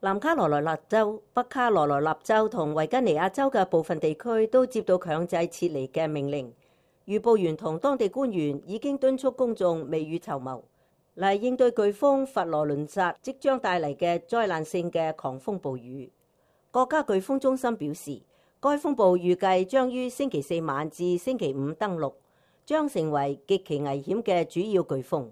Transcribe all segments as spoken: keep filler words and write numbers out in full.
南卡羅來納州、北卡羅來納州同維吉尼亞州嘅部分地區都接到強制撤離嘅命令。預報員同當地官員已經敦促公眾未雨綢繆，嚟應對颶風佛羅倫薩即將帶嚟嘅災難性嘅狂風暴雨。國家颶風中心表示，該風暴預計將於星期四晚至星期五登陸，將成為極其危險嘅主要颶風。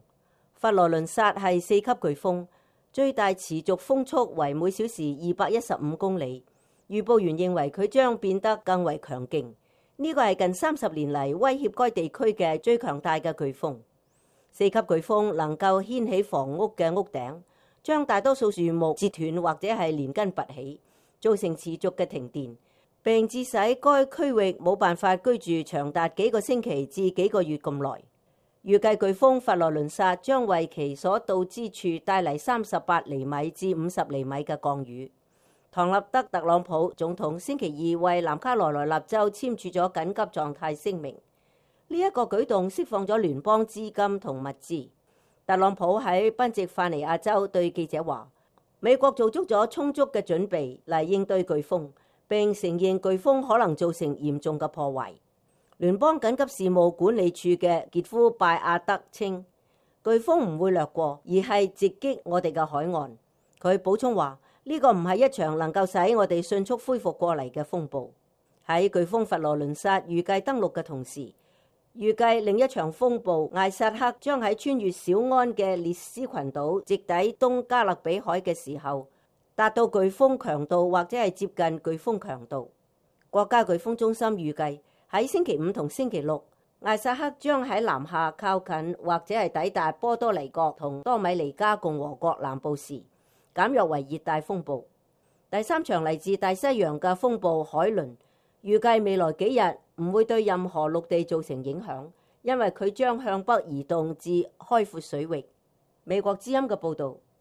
佛羅倫薩係四級颶風，最大持續風速為每小時二百一十五公里。預報員認為佢將變得更為強勁，呢個係近三十年嚟威脅該地區嘅最強大嘅颶風。四級颶風能夠掀起房屋嘅屋頂，將大多數樹木折斷或者係連根拔起，造成持續嘅停電，並致使該區域冇辦法居住長達幾個星期至幾個月咁耐。預計颶風佛羅倫薩將為其所到之處帶嚟三十八厘米至五十厘米嘅降雨。唐納德·特朗普總統星期二為南卡羅來納州簽署咗緊急狀態聲明，呢、這、一個舉動釋放咗聯邦資金同物資。特朗普喺賓夕法尼亞州對記者話：美國做足咗充足嘅準備嚟應對颶風，並承認颶風可能造成嚴重嘅破壞。聯邦緊急事務管理處嘅傑夫·拜亞德稱，颶風唔會掠過，而係直擊我哋嘅海岸。佢補充話：呢、這個唔係一場能夠使我哋迅速恢復過嚟嘅風暴。喺颶風佛羅倫薩預計登陸嘅同時，預計另一場風暴艾薩克將喺穿越小安嘅列斯群島直抵東加勒比海嘅時候，達到颶風強度或者係接近颶風強度。國家颶風中心預計喺星期五同星期六，艾薩克將喺南下靠近或者係抵達波多黎各同多米尼加共和國南部時，減弱為熱帶風暴。第三場嚟自大西洋嘅風暴海倫，預計未來幾日唔會對任何陸地造成影響，因為佢將向北移動至開闊水域。美國之音嘅報導。